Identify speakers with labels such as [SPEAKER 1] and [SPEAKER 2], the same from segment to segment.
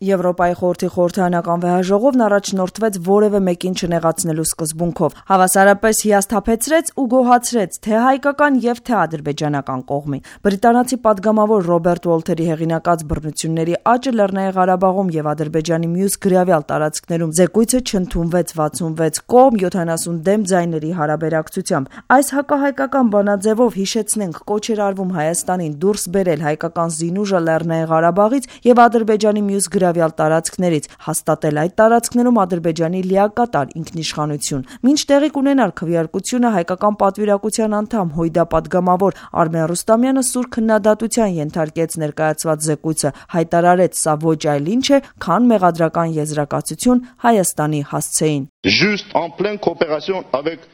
[SPEAKER 1] Եվրոպայի խորհրդի խորհրդարանական վեհաժողովն առաջնորդվեց որևէ մեկին չնեղացնելու սկզբունքով, հավասարապես հիասթափեցրեց ու գոհացրեց թե հայկական եւ թե ադրբեջանական կողմին։ Բրիտանացի падգամավոր Ռոբերտ Ուոլթերի հեղինակած բռնությունների աճը Լեռնային Ղարաբաղում եւ Ադրբեջանի մյուս գրավյալ տարածքներում զեկույցը չընդունվեց 66 կողմ 70 դեմ ձայների հարաբերակցությամբ։ Այս հակահայկական բանաձևով հիշեցնենք կոչ էր արվում Հայաստանին դուրս բերել հայկական զինուժը Լեռնային Ղարաբաղից եւ Ադրբեջանի մյուս գրավյալ տարածքներից, հաստատել այդ տարածքներում Ադրբեջանի լիակատար ինքնիշխանություն։ Մինչ տեղի կունենար քվեարկությունը, հայկական պատվիրակության անդամ Հույդա падգամավոր Արմեն Ռուստամյանը սուր քննադատության ենթարկեց ներկայացված զեկույցը, հայտարարեց սա ոչ այլ ինչ է, քան մեղադրական եզրակացություն Հայաստանի հասցեին։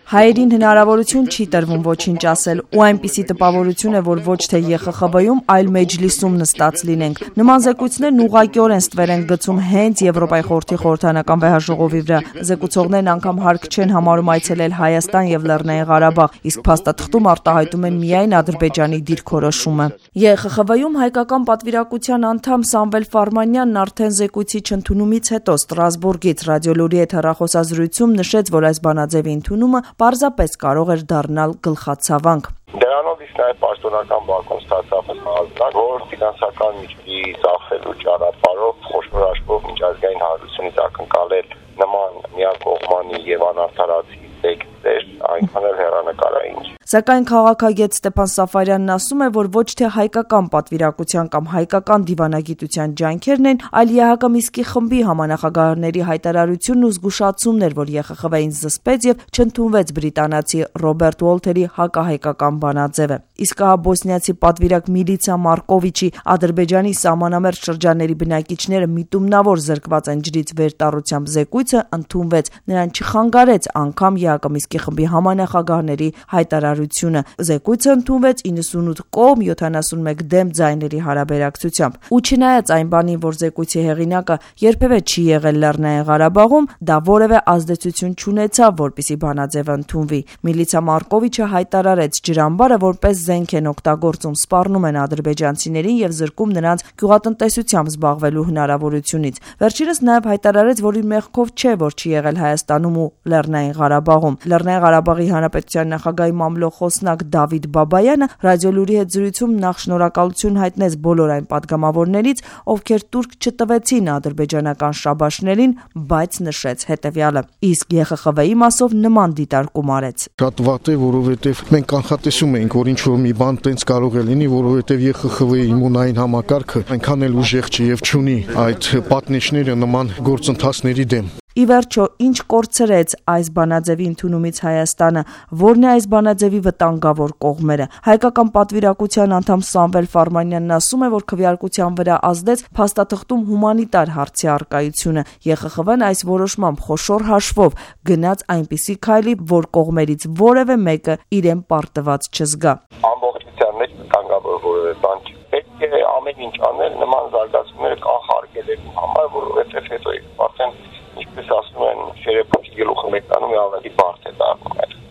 [SPEAKER 1] Հայերին հնարավորություն չի տրվում ոչինչ ասել, ու այնպիսի տպավորություն է, որ ոչ թե ԵԽԽՎ-ում, այլ Մեջլիսում նստած լինենք։ Նման զեկույցներն ուղղակիորեն ստվեր են գցում հենց Եվրոպայի խորհրդի խորհրդարանական վեհաժողովի վրա։ Զեկուցողներն անգամ հարկ չեն համարում այցելել Հայաստան եւ Լեռնային Ղարաբաղ, իսկ փաստաթղթում արտահայտում են միայն Ադրբեջանի դիրքորոշումը։ ԵԽԽՎ-ում հայկական պատվիրակության անդամ Սամվել Ֆարմանյանն արդեն զեկույցի չընդունումից հետո Ստրասբուրգից Ռադիոլուրի հետ հեռախոսազրույցում նշեց, որ այս բանաձևի ընդունումը պարզապես կարող էր դառնալ գլխացավանք։
[SPEAKER 2] Դրանով իսկ նաև պաշտոնական բակում ստացավ հազար, որ ֆինանսական միջի ծախսելու ճանապարհով խոշոր աշխով միջազգային հարությունից ակնկալել նման միակողմանի եւ անարդարացի տեքստեր այնքան էլ հեռանկարային։
[SPEAKER 1] Սակայն քաղաքագետ Ստեփան Սաֆարյանն ասում է, որ ոչ թե հայկական պատվիրակության կամ հայկական դիվանագիտության ջանքերն են, այլ ԵՀԿ Միսկի խմբի համանախագահների հայտարարությունն ու զգուշացումն էր, որ ԵԽԽՎ-ին զսպեց եւ չընդունվեց բրիտանացի Ռոբերտ Ուոլթերի հակահայկական բանաձևը։ Իսկ հա բոսնիացի պատվիրակ Միլիցա Մարկովիչի Ադրբեջանի սահմանամերձ շրջանների բնակիչները միտումնավոր զրկված են ջրից վերտառությամբ զեկույցը ընդունվեց, նրան չխանգարեց անգամ ԵՀԿ Միսկի խմբի համանախագահների հայտարարությունը։ Զեկույցը ընդունվեց 98 կողմ 71 դեմ ձայների հարաբերակցությամբ։ Ու չնայած այն բանին, որ զեկույցի հեղինակը երբևէ չի եղել Լեռնային Ղարաբաղում, դա որևէ ազդեցություն չունեցավ, որպեսզի բանաձևը ընդունվի։ Միլիցա Մարկովիչը հայտարարեց ջրամբարը որպես զենք են օգտագործում, սպառնում են ադրբեջանցիներին եւ զրկում նրանց գյուղատնտեսությամբ զբաղվելու հնարավորությունից։ Վերջինս նաեւ հայտարարեց, որ իր մեղքով չէ, որ չի եղել Հայաստանում ու Լեռնային Ղարաբաղում։ Լեռնային Ղարաբաղի Հանրապետության նախագահի մամլոխոսնակ Դավիթ Բաբայանը Ռադիոլուրի հետ զրույցում նախ շնորհակալություն հայտնեց բոլոր այն падգամավորներից, ովքեր տուրք չտվեցին ադրբեջանական շաբաշներին, բայց նշեց հետևյալը. իսկ ԵԽԽՎ-ի մասով նման դիտարկում արեց։
[SPEAKER 3] Շատ վատ է, որովհետև մենք կանխատեսում էինք, որ ինչ որ մի բան տենց կարող է լինի, որովհետև ԵԽԽՎ-ի իմունային համակարգը այնքան էլ ուժեղ չի եւ չունի այդ պատնեշները նման գործընթացների դեմ։
[SPEAKER 1] Ի վերջո, ինչ կորցրեց այս բանաձևի ընդունումից Հայաստանը, որն է այս բանաձևի վտանգավոր կողմերը։ Հայկական պատվիրակության անդամ Սամվել Ֆարմանյանն ասում է, որ քվեարկության վրա ազդեց փաստաթղթում հումանիտար հարցի առկայությունը։ ԵԽԽՎ-ն այս որոշմամբ խոշոր հաշվով գնաց այնպիսի քայլի, որ կողմերից որևէ մեկը իրեն պարտված չզգա։
[SPEAKER 2] Ամբողջության մեջ վտանգավոր որևէ բան չի։ Պետք է ամեն ինչ անել նման զարգացումները կանխարգելելու համար, որովհետև հետո արդեն ինչպես ասում են, շերեփուկի գլուխը մեկանում է ավելի բարդ է դառնում։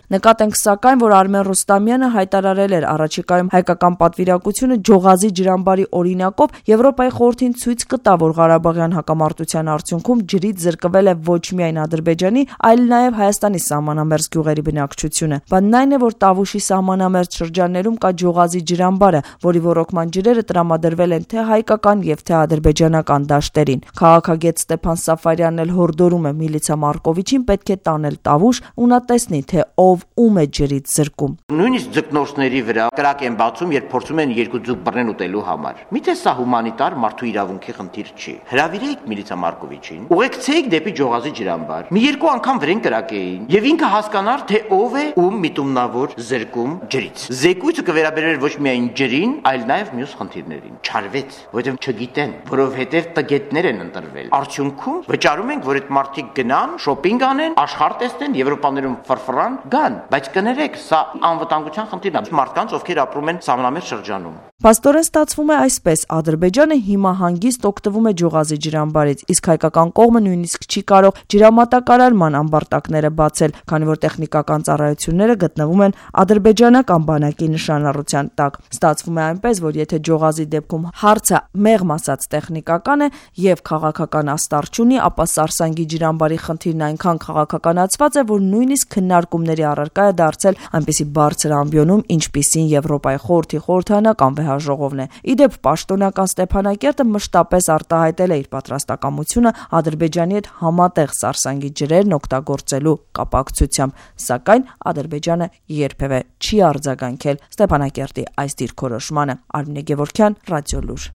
[SPEAKER 1] Նկատենք սակայն, որ Արմեն Ռուստամյանը հայտարարել էր առաջիկայում հայկական պատվիրակությունը Ջողազի ջրամբարի օրինակով Եվրոպայի խորհրդին ցույց կտա, որ Ղարաբաղյան հակամարտության արդյունքում ջրից զրկվել է ոչ միայն Ադրբեջանի, այլ նաև Հայաստանի սահմանամերձ գյուղերի բնակչությունը։ Բանն այն է, որ Տավուշի սահմանամերձ շրջաններում կա Ջողազի ջրամբարը, որի ոռոգման ջրերը տրամադրվել են թե հայկական եւ թե ադրբեջանական դաշտերին։ Քաղաքագետ Ստեփան Սաֆարյանն էլ հորդորում է Միլիցա Մարկովիչին պետք է տանել Տավուշ ու նա տեսնի, թե ով ում է ջրից զրկում։
[SPEAKER 4] Նույնիսկ ձկնորսների վրա կրակ են բացում, երբ փորձում են երկու ձուկ բռնեն ուտելու համար։ Միթե սա հումանիտար մարդու իրավունքի խնդիր չի։ Հրավիրեք Միլիցա Մարկովիչին, ուղեկցեք դեպի Ջողազի ջրամբար։ Մի երկու անգամ վրեն կրակեին եւ ինքը հասկանար, թե ով է ում միտումնավոր զրկում ջրից։ Զեկույցը կվերաբերեր ոչ միայն ջրին, այլ նաեւ մյուս խնդիրներին։ Չարվեց, որովհետեւ չգիտեն, որովհետեւ տգետներ են ընտրվել։ Արդյունքում վճարում ենք, որ այդ մարդիկ գնան, շոփինգ անեն, աշխարհ տեսնեն, Եվրոպաներում ֆրֆրան գան, բայց կներեք, սա անվտանգության խնդիրն է մարդկանց, ովքեր ապրում են սահմանամերձ շրջանում։
[SPEAKER 1] Փաստորեն ստացվում է այսպես. Ադրբեջանը հիմա հանգիստ օգտվում է Ջողազի ջրամբարից, իսկ հայկական կողմը նույնիսկ չի կարող ջրամատակարարման ամբարտակները բացել, քանի որ տեխնիկական ծառայությունները գտնվում են ադրբեջանական բանակի նշանառության տակ։ Ստացվում է այնպես, որ եթե Ջողազի դեպքում հարցը մեղմ ասած տեխնիկական է եւ քաղաքական աստառ չունի, ապա Սարսանգի ջրամբարի խնդիրն այնքան քաղաքականացված է, որ նույնիսկ քննարկումների առարկա է դարձել այնպիսի բարձր ամբիոնում, ինչպիսին Եվրոպայի խորհրդի խորհրդանական ժողովն է։ Իդեպ պաշտոնական Ստեփանակերտը մշտապես արտահայտել է իր պատրաստակամությունը Ադրբեջանի հետ համատեղ Սարսանգի ջրերն օգտագործելու կապակցությամբ, սակայն Ադրբեջանը երբևէ չի արձագանքել Ստեփանակերտի այս դիրքորոշմանը։ Արմինե Գևորգյան, Ռադիոլուր։